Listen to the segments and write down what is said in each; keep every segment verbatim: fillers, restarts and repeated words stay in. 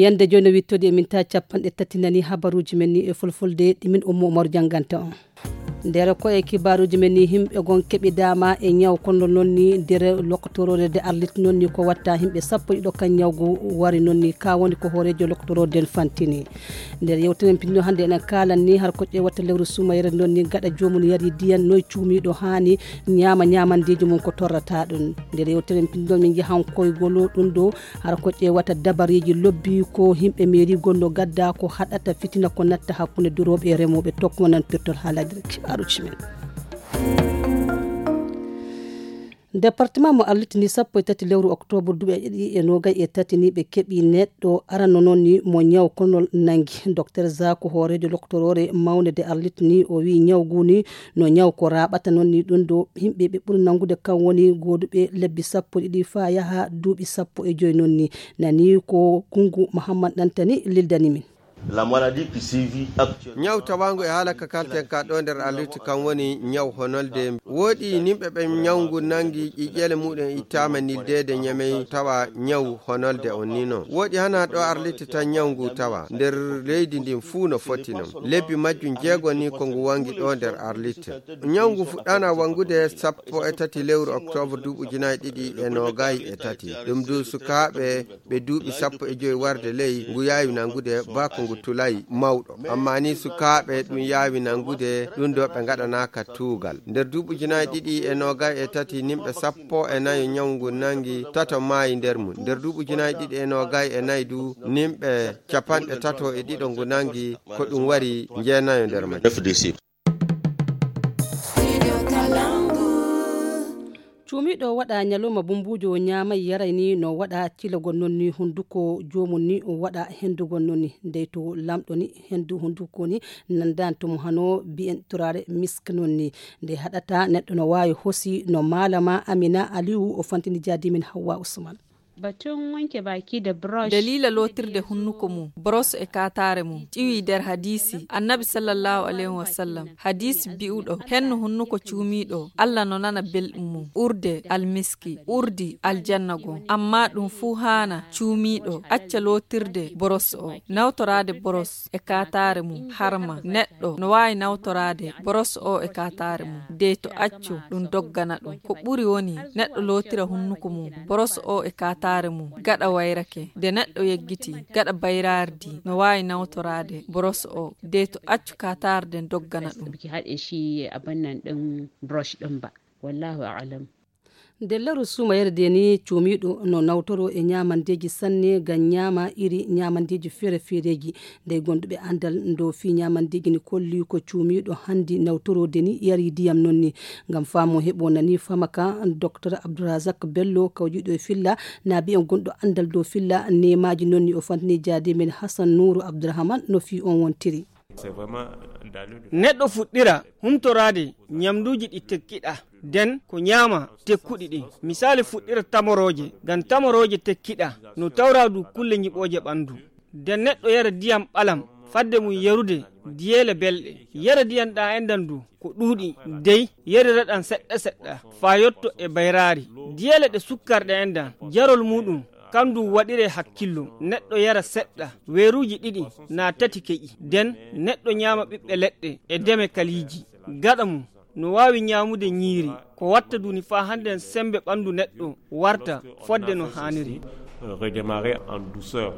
yande joni wittode min ta capanɗe tati nani habaruji men ni e fulfulde ɗimin ummo Umar janganta on nder ko e kibaruji men ni himɓe gon keɓi dama e ñaw kono noon ni nder lokotorode de arlit noon ni ko watta himɓe sappo ɗiɗo kan ñawgu wari noon ni ka woni ko hoorejo lokotoro den fantini nder yewtenen pinno hande enen kalan ni har ko ƴewata lewru sumayere noon ni gaɗa jomum yari diyan noy cuumiɗo hani ñaama ñamandeji mum ko torrata ɗum nder yewtenen pinno min jahan koygolo ɗum ɗo har ko ƴewata dabariji lobbi ko himɓe mairie gonno gadda ko haɗata fitina ko natta hakkunde duroɓe e remoɓe tokko nan pirtol haalade arucimen département mo arlitini sappo e tati lewru octobre duuɓi ɗiɗi e nogay e tati ni ɓe keeɓi neɗɗo arano noon ni mo ñaw konol nangi docteur Zakou hoorejo lokotorore mawde de arlitini o wi ñawgu ni no ñaw ko raɓata noon ni ɗum ɗo himɓe ɓe ɓuri nangude kan woni goduɓe lebbi sappo ɗiɗi fa yaha duuɓi sappo e joyi noon ni nani ko Gungu Mahamad Dantani lildani min la maladie qui sévit actuellement ñaw tawango e haala ka kalten ka ɗo nder alluti kan woni ñaw honolde woodi nimɓe ɓe ñawgu nangi ƴiƴƴele muɗum ittama nildede ñamey tawa ñaw honolde on ni noon woodi hana ɗo arliti tan ñawgu tawa nder leydi ndin fuu no foti non lebbi majjum jeego ni ko ngu wangi ɗo nder arlite ñawgu fuɗɗana wangude sappo e tati lewru octobre duuɓujinayi ɗiɗi e nogayi e tati ɗum du sukaɓe ɓe duuɓi sappo e joyi warde ley ngu yawi nangude bako ngu tulay mawɗo amma ni sukaɓe ɗum yawi nangude ɗum ɗo ɓe gaɗanaka tuugal nder duuɓujinayi ɗiɗi e nogay e tati nimɓe sappo e nayi ñawgu nangi tato maayi nder mum nder duuɓujinayi ɗiɗi e nogay e nayi du nimɓe capanɗe tato e ɗiɗo ngu nangi ko ɗum wari jeenayo nder majji cuumiɗo waɗa ñalowma bumbujo ñaamay yaray ni no waɗa cilagol noon ni hunduko jomum ni waɗa hendugol noon ni ndey to lamɗo ni hendu hunduko ni nandan to mo hano bi'en turare misk noon ni nde haɗata neɗɗo no wawi hosi no malama Amina Aliou o fantini jadimin Hawwa Usman batun wanke baki da brush dalila lotirde hunnuko mum brosse e katare mum ƴiwi der hadisi annabi sallallahu alaihi wasallam hadisi bi'uɗo henno hunnuko cuumiɗo Allah no nana belɗum mum urde almiski urdi aljanna gon amma ɗum fu hana cuumiɗo acca lotirde brosse o nawtorade brosse e katare mum harma neɗɗo no wawi nawtorade brosse o e katare mum de to accu ɗum doggana ɗum ko ɓuri woni neɗɗo lotira hunnuko mum brosse o e katare mum gaɗa wayrake de neɗɗo yeggiti gaɗa bayrardi no wawi nawtorade brosse o de to accu katarde doggana ɗum ki haɗe shi abin nan ɗin brush ɗin ba wallahu a'lam delleru suma yerde ni cuumiɗo no nawtoro e ñamandeji sanne gam ñama iri ñamandeji feere feereji nde gonduɓe andal ndo fi ñamandeji ni kolli ko cuumiɗo handi nawtorode ni yari diyam noon ni gam famo heɓo nani famaka docteur Abdourazak Bello kawjiɗo e filla naabi en gonɗo andal dow filla nemaji noon ni o fantini jaade men Hassan Nourou Abdourahmane no fi on wontiri neɗɗo fuɗɗira humtorade ñamduji ɗi tekkiɗa den ko ñaama tekkuɗi ɗin misali fuɗɗira tamoroje gam tamoroje tekkiɗa no tawra du kulle ñiɓoje ɓandu den neɗɗo yara diyam ɓalam fadde mum yarude diyele belɗe yara diyam ɗa endan du ko ɗuuɗi dey yarira ɗan seɗɗa seɗɗa fa yotto e bayrari diyele ɗe sukkarɗe endan jarol muɗum kandu waɗire hakkillo neɗɗo yara seɗɗa weeruji ɗiɗi na tati keƴi den neɗɗo ñaama ɓiɓɓe leɗɗe e deme kaliji gaɗa mum no wawi ñamude ñiiri ko watta duni fa hande sembe ɓandu neɗɗo warta fodde no haniri redémarrer en douceur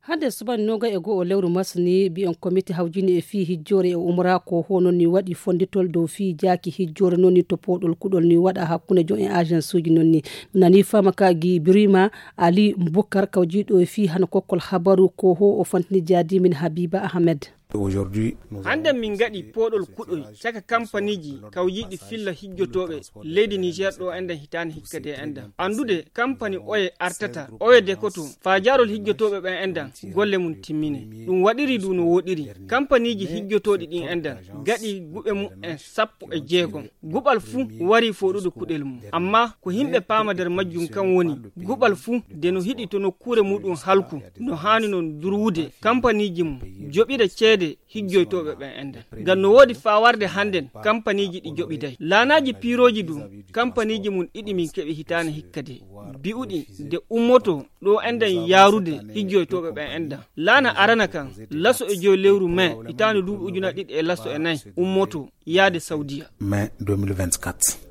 hande subani noga e goo lewru masni bi'en comité hawjini e fi hijjore e umra ko honon ni waɗi fonditol dow fi jaaki hijjore noon ni to poɗol kuɗol ni waɗa hakkunde jo en agence uji noon ni nani fama ka gi Birima Ali Boukar kawjiɗo e fi hana kokkol habaru ko ho o fantini jaadi min Habiba Ahmed aujourd'hui hande min gaɗi poɗol kuɗol caka kampaniji kawjiɗi filla hijjotoɓe leydi Niger ɗo endan hitani hikkade endan andude kampani oye artata oye dekoto fa jarol hijjotoɓe ɓen endan golle mum timmine ɗum waɗiri du no woɗiri kampaniji hijjotoɗi ɗin endan gaɗi guɓe mum en sappo e jeegom guɓal fuu wari foɗude kuɗel mum amma ko himɓe paama nder majjum kan woni guɓal fuu de no hiɗi to nokkure muɗum halku no hani non durwude kampaniji mum joɓira ceede ceede hijjoytoɓe ɓen enden ngam no woodi fawarde hannden kampaniji ɗi joɓiday laanaji piiroji du kampaniji mum ɗiɗi min keɓi hitane hikkade bi'uɗi nde ummoto ɗo enden yaarude hijjoytoɓe ɓen enden laana arana kan laso e joyi lewru mai hitane duuɓi ujuna ɗiɗi e laso e nayyi ummoto yaade saudiya mai deux mille vingt-quatre.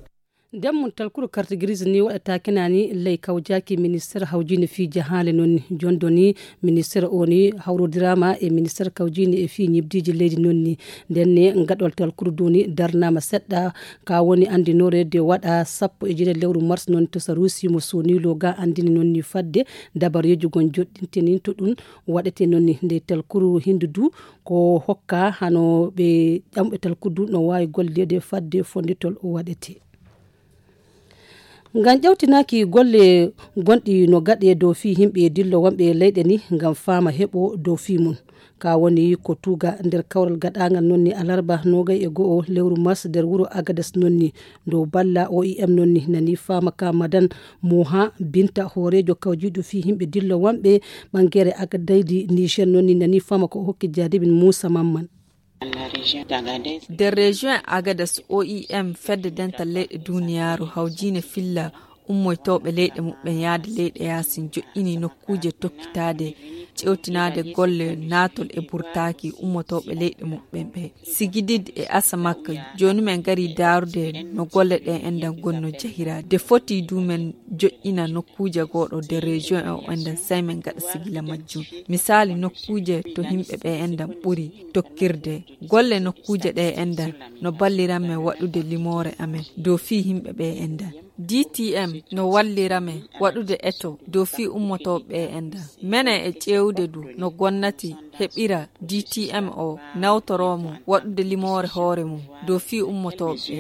demmun talkuru carte grise ni waɗata kenani ley kawjaki ministére hawjini fi jahale noon jondoni ministére o ni hawrodirama e ministére kawjini e fi ñibdiji leydi noon ni ndenne gaɗol talkuru doni darnama seɗɗa ka woni andinore de waɗa sappo e jeeɗi lewru mars noon to sarusimo sonilo ga andini noon ni fadde dabareji gon joɗɗinteni to ɗum waɗete noon ni nde talkuru hindu du ko hokka hano ɓe ƴamɓe talkuru du no wawi gollede fadde fonditol o waɗete ngam ƴewtinaki golle gonɗi no gaɗe dow fi himɓe dillo wonɓe leyɗe ni ngam fama heɓo dow fi mum ka woni ko tuga nder kawral gaɗagal nonni alarba nogay e go'o lewru mars nder wuro agades nonni dow balla O I M nonni nani fama ka madan moha binta horejo kawjiɗo fi himɓe dillo wonɓe ɓangere agadaydi niger nonni nani fama ko hokki jadibin moussa mamman nder région agadas O I M fedde dental leyɗe duniyaru hawjine filla ummoytoɓe leyɗe muɓɓen yaade leyɗe yasin joƴƴini nokkuje tokkitade ƴewtinade golle natol e burtaki ummotoɓe leyɗe muɓɓen ɓe sigidid e asamakka joni men gari darude no golle ɗen endan gonno jahira de foti du men joƴƴina nokkuje goɗo de région e o endan sai men gaɗa sigila majjum misali nokkuje to himɓe ɓe endan ɓuri tokkirde golle nokkuje ɗe endan no balliranme waɗude limore amen dow fi himɓe ɓe endan D T M no wallirame waɗude eto dow fi ummotoɓe endan mene e ƴewde du no gonnati heɓira D T M o nawtoromo waɗude limore hoore mum dow fi ummotoɓe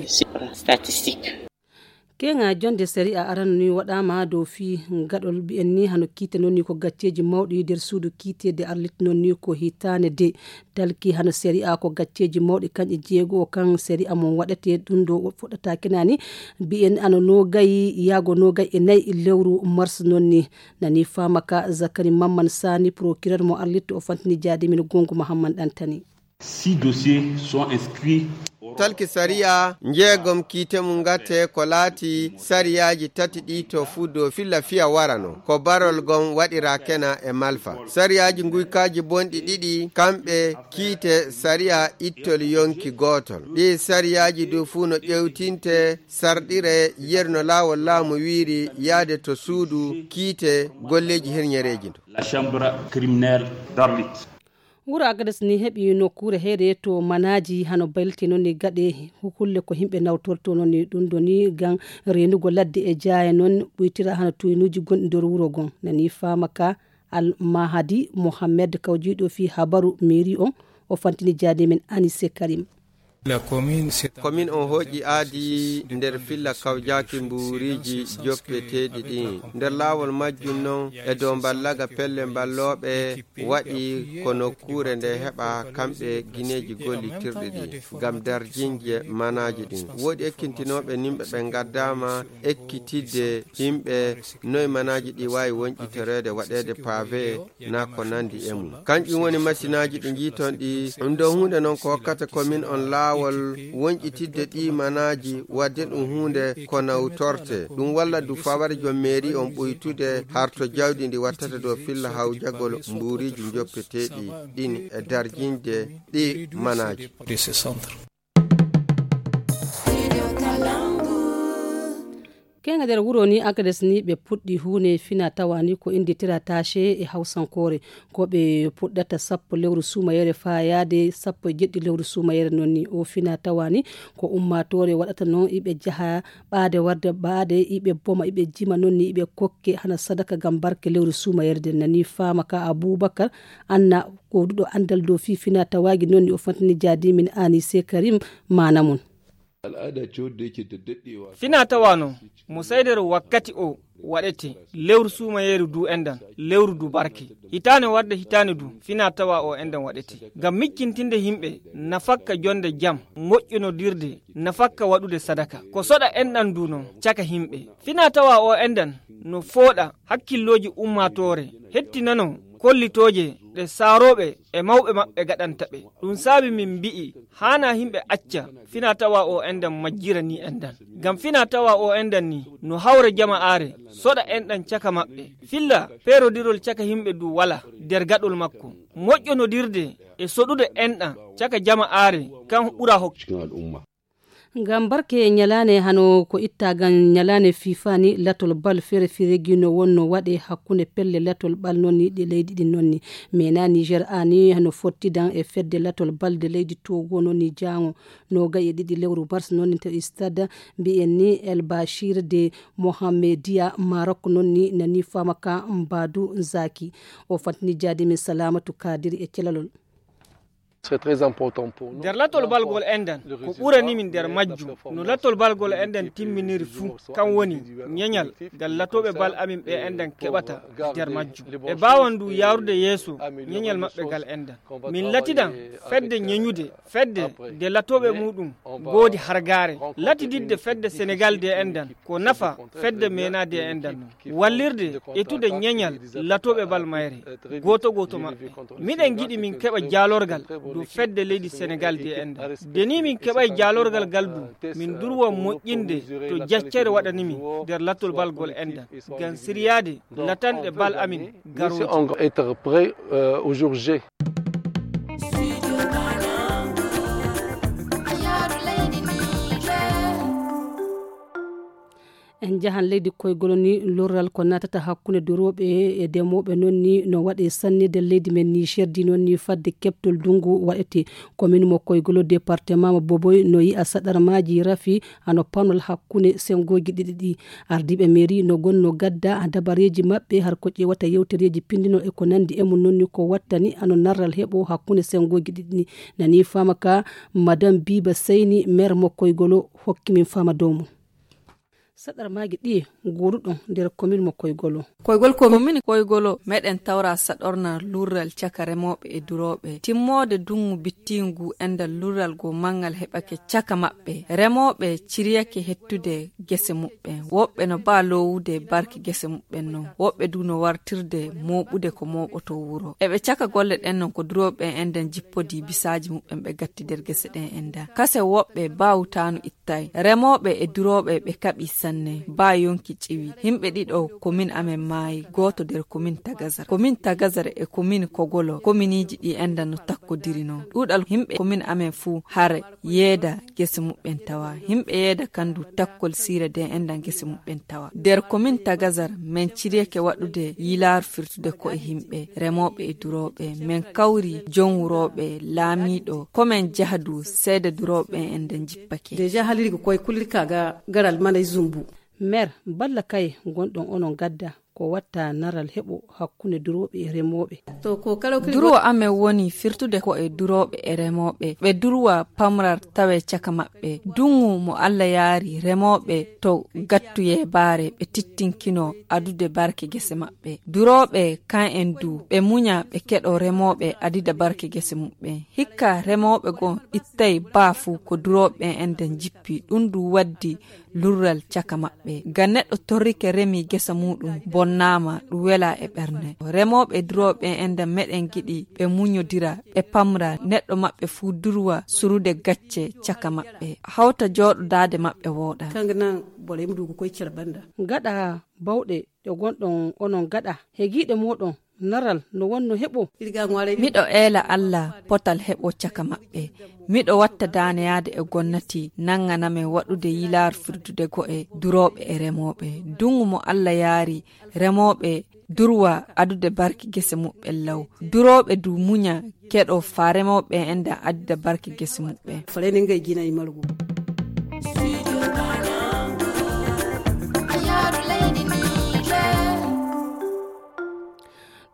kenga jonde série a arano ni waɗama dow fi gaɗol mbi'en ni hano kiite noon ni ko gacceji mawɗi nder suudu kiitede arlit noon ni ko hitane de dalki hano série a ko gacceji mawɗi kanƴe jeego kan série a mon waɗete ɗum ɗo fuɗɗata kenani mbi'en ano nogayi yaago nogayi e nayyi lewru mars noon ni nani famaka zakari mamman sani procureur mo arlit o fantini jaadimin gongu mahamman ɗantani six dossiers sont inscrits talki sariya jeegom kiite mum gatte ko laati sariyaji tati ɗi to fuu dow filla fiya warano ko barol gon waɗira kena e malfa sariyaji guykaji bonɗi ɗiɗi kamɓe kiite sariya ittol yonki gotol ɗi sariyaji dow fuu no ƴewtinte sarɗire yerno laawol laamu wiiri yaade to suudu kiite golleji herñereji do la chambre criminelle d'Arlit wuro agades ni heɓi nokkure heede to manaji hano baylti noon ni gaɗe hukulle ko himɓe nawtorto noon ni ɗum ɗo ni gan renugo ladde e jaaya noon ɓoytira hano tuynuji gonɗi nder wuro gon nani famaka al mahadi mohammed kawjiɗo fi habaru mairie on o fantini jaade men anise karim La commune, commune on hoƴƴi aadi nder filla kawjaki mburiji joppeteɗi ɗi nder laawol majjum noon e dow ballaga pelle balloɓe waɗi ko nokkure nde heɓa kamɓe guineji gollitirɗi ɗi ngam darjinje manaji ɗin woodi ekkintinoɓe nimɓe ɓe gaddama ekkitidde yimɓe noye manaji ɗi wawi wonƴiterede waɗede pavé na ko nandi e mum kanƴum woni machinaji ɗi jiiton ɗi ɗum ɗo hunde noon ko hokkata commune on laaw wol wonƴitidde ɗi manaji wadde ɗum hunde ko nawtorte ɗum walla du faware jom mairie on ɓoytude harto jawdi ndi wattata dow filla hawjagol mburiji joppeteɗi ɗin e darjinde ɗi manaji kenga nder wuro ni agades ni ɓe puɗɗi hunde fina tawani ko inditira tache e hawsankore ko ɓe puɗɗata sappo lewru sumayere fa yaade sappo e jeɗɗi lewru sumayere noon ni o fina tawani ko ummatore waɗata noon iɓe jaaha ɓaade warde ɓaade iɓe boma iɓe jima noon ni iɓe kokke hana sadaka gam barke lewru sumayere de nani fama ka aboubacar anna ko ɗuɗo andal dow fi fina tawagi noon ni o fantini jaadimin anise karim manamum fina tawano mo saydero wakkati o waɗete lewru sumayeru du endan lewru du barke hitane warde hitane du fina tawa o endan waɗete ngam mikkintinde himɓe nafakka jonde jam moƴƴinodirde nafakka waɗude sadaka ko soɗa endan du non caka himɓe fina tawa o endan no fooɗa hakkilloji ummatore hettinano kollitoje ɗe saaroɓe e mawɓe maɓɓe gaɗanta ɓe. Ɗum saabi min mbi'i hana himɓe acca fina tawa o endan majjira ni endan. Ngam fina tawa o endan ni no hawre jama'are soɗa enɗan caka maɓɓe. Filla perodirol caka himɓe du wala nder gaɗol makko. Moƴƴonodirde e soɗude enɗan caka jama'are kan ɓura hokkude al'umma. Ngam barke nyalane hano ko itta gan nyalane fifani latol bal fere firegi no wonno wade hakkunde pelle latol bal nonni de leydi din nonni mena Niger ani hano fotti dan e fedde latol bal de leydi Togo nonni jango no gaye didi lewru bars nonni to stade bi enni El Bashir de Mohamedia Maroc nonni nani famaka Mbadou Zaki o fatni jadi min salamatu kadiri e celalol. C'est très important pour nous. Der latol balgol endan ko ɓurani min der majjum no latol balgol endan timminiri fuu kan woni ñeñal gal latoɓe bal amin ɓe endan keɓata der majjum ɓe bawandu yarude yeeso ñeñal maɓɓe gal endan min latidan fedde ñeñude fedde de latoɓe muɗum goodi hargare latididde fedde Sénégal de endan ko nafa fedde mena de endan no wallirde etude ñeñal latoɓe bal mayre goto goto maɓɓe miɗen giɗi min keɓa jalorgal du fedde leydi Sénégal de enda deni min keɓay jalorgal galdu min durwa moƴƴinde to jaccere waɗanimi nder latol balgol enda gan siriyade latanɗe bal amin garoji être prêt euh, au jour J. en jahan leydi koygol ni lorral ko natata hakkunde durooɓe e demoɓe noon ni no waɗe sannide leydi men Niger di noon ni fadde keptol dungu waɗete commune mo koygol département mo Boboy no yi'a saɗarmaji rafi ano panol hakkunde sengoji ɗiɗi ɗi ardiɓe mairie no gonno gadda dabareji maɓɓe har ko ƴewata yewtereji pindino e ko nandi e mum noon ni ko wattani ano narral heɓo hakkunde sengoji ɗiɗi ni nani fama ka madame Biba Seyni maire mo koygol hokki min fama dow mum sadar magi ɗi goruɗon nder commune mo koygolo koygol commune koygolo meɗen tawra saɗorna lurral caka remoɓe e duroɓe timmode dungu bittingu endal lurral go mangal heɓake caka maɓɓe remoɓe ciriyake hettude gese muɓɓe woɓɓe no ba lowude barki gese muɓɓen non woɓɓe du no wartirde moɓude ko moɓoto wuro eɓe caka golle ɗen non ko duroɓe enden jippodi bisaji muɓɓen ɓe gatti nder gese ɗen enda kase woɓɓe bawtanu ittay remoɓe e duroɓe ɓe kaɓi sanne ba yonki ciwi himɓe ɗiɗo commune amen maayi goto nder commune Tagazar commune Tagazar e commune Kogolo communeji ɗi enda no takkodiri non ɗuɗal himɓe commune amen fuu hare yeeda gese muɓɓen tawa himɓe yeeda kandu takkol sire de enda gese muɓɓen tawa nder commune Tagazar men ciriyake waɗude yilar firtude ko e himɓe remoɓe e duroɓe men kawri jonwuroɓe laamiɗo komen jahadu seede duroɓe enden jippake deja haliri ko koye kullirka ga garal mana zumbu maire balla kay gonɗon onon gadda ko watta naral heɓo hakkunde duroɓe e remoɓe to ko kala durwa amen woni firtude ko e duroɓe e remoɓe ɓe durwa pamrar tawe caka maɓɓe dungu mo Allah yaari remoɓe to gattuye baare ɓe tittinkino adude barke gese maɓɓe duroɓe kan en du ɓe munya ɓe keɗo remoɓe adida barke gese muɓɓe hikka remoɓe gon ittay baafu ko duroɓe enden jippi ɗum du waddi lurral caka maɓɓe ga neɗɗo torrike remi gesa muɗum bonnama ɗum wela e ɓernde remoɓe duroɓe enda meɗen giɗi ɓe muñodira ɓe pamra neɗɗo maɓɓe fuu durwa surude gacce caka maɓɓe hawta jooɗodade maɓɓe wooɗa kangana bole mdugo koye cer banda gaɗa bawɗe ɗe gonɗon onon gaɗa hegiɗe moɗon naral no wonno heɓo miɗo eela Allah potal heɓo caka maɓɓe miɗo watta daneyade e gonnati nanganame waɗude yilar firdude go'e duroɓe e remoɓe dungu mo Allah yaari remoɓe durwa adude barki gese muɓɓen law duroɓe du muña keɗo fa remoɓe enda addude barki gese muɓɓe faleni ngay gina e malgu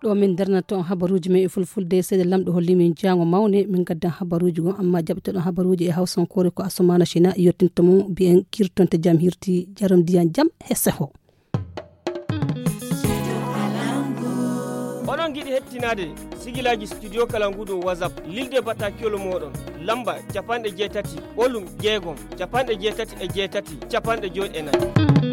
ɗo min darnata on habaruji men e fulfulde seeɗa lamɗo holli min jango mawne min gaddan habaruji gon amma jaɓteɗon habaruji e hawsankore ko Asumana China yettinta mum mbiyen kirtonte jam hirti jaram ndiyan jam e seho onon giɗi hettinade sigilaji studio Kalangu ɗo WhatsApp lilde batakiyol moɗon lamba capanɗe jeetati ɓolum jeegom capanɗe jeetati e jeetati capanɗe joyi e nayyi